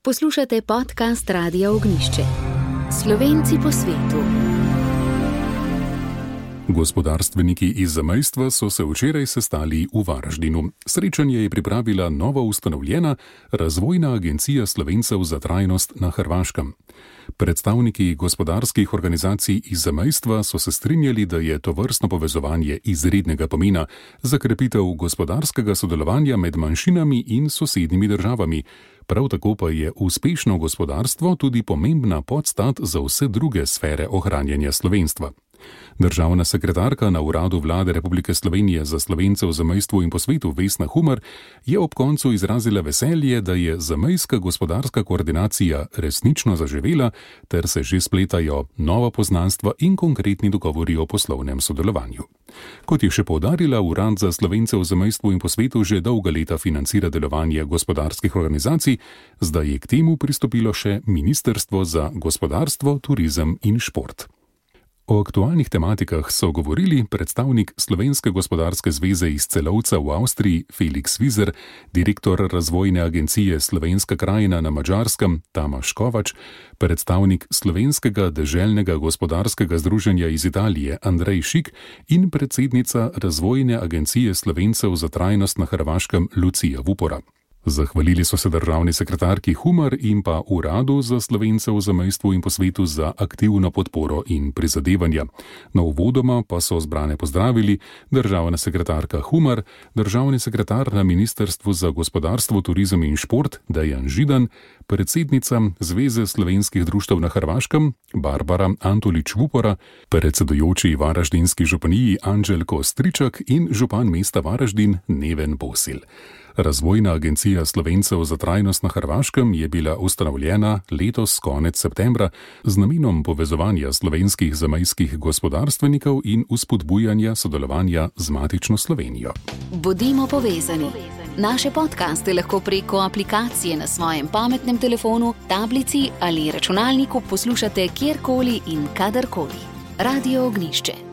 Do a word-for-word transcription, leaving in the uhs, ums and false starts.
Poslušate podcast Radia Ognjišče. Slovenci po svetu. Gospodarstveniki iz zamejstva so se včeraj sestali v Varaždinu. Srečanje je pripravila novo ustanovljena Razvojna agencija Slovencev za trajnost na Hrvaškem. Predstavniki gospodarskih organizacij iz zamejstva so se strinjali, da je tovrstno povezovanje izrednega pomena za krepitev gospodarskega sodelovanja med manjšinami in sosednjimi državami. Prav tako pa je uspešno gospodarstvo tudi pomembna podstat za vse druge sfere ohranjanja slovenstva. Državna sekretarka na Uradu Vlade Republike Slovenije za Slovence v zamejstvu in po svetu Vesna Humar je ob koncu izrazila veselje, da je zamejska gospodarska koordinacija resnično zaživela ter se že spletajo nova poznanstva in konkretni dogovori o poslovnem sodelovanju. Kot je še poudarila, Urad za Slovence v zamejstvu in po svetu že dolga leta financira delovanje gospodarskih organizacij, zdaj je k temu pristopilo še Ministrstvo za gospodarstvo, turizem in šport. O aktualnih tematikah so govorili predstavnik Slovenske gospodarske zveze iz Celovca v Avstriji Felix Vizer, direktor Razvojne agencije Slovenska krajina na Madžarskem Tamas Kovač, predstavnik Slovenskega deželnega gospodarskega združenja iz Italije Andrej Šik in predsednica Razvojne agencije Slovencev za trajnost na Hrvaškem Lucija Vupora. Zahvalili so se državni sekretarki Humar in pa Uradu za Slovence v zamejstvu in po svetu za aktivno podporo in prizadevanja. Na uvodoma pa so zbrane pozdravili državna sekretarka Humar, državni sekretar na Ministrstvu za gospodarstvo, turizem in šport Dejan Židan, predsednica Zveze slovenskih društev na Hrvaškem Barbara Antolič Vupora, predsedujoči Varaždinski županiji Anđelko Stričak in župan mesta Varaždin Neven Bosil. Razvojna agencija Slovencev za trajnost na Hrvaškem je bila ustanovljena letos konec septembra z namenom povezovanja slovenskih zamejskih gospodarstvenikov in vzpodbujanja sodelovanja z matično Slovenijo. Bodimo povezani. Naše podcaste lahko preko aplikacije na svojem pametnem telefonu, tablici ali računalniku poslušate kjerkoli in kadarkoli. Radio Ognjišče.